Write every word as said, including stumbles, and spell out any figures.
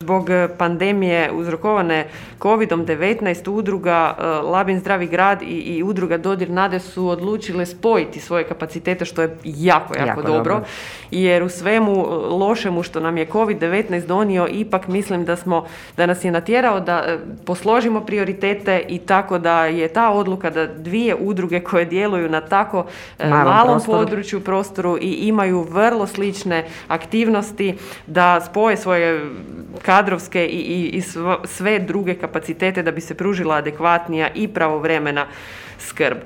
Zbog pandemije uzrokovane kovidom devetnaest udruga Labin Zdravi grad i, i udruga Dodir nade su odlučile spojiti svoje kapacitete, što je jako, jako, jako dobro, dobro. Jer u svemu lošemu što nam je kovid devetnaest donio, ipak mislim da smo, da nas je natjerao da posložimo prioritete i tako da je ta odluka da dvije udruge koje djeluju na tako malom, malom prostoru. području, prostoru i imaju vrlo slične aktivnosti, da spoje svoje kadrovske i, i, i sve druge kapacitete da bi se pružila adekvatnija i pravovremena skrb.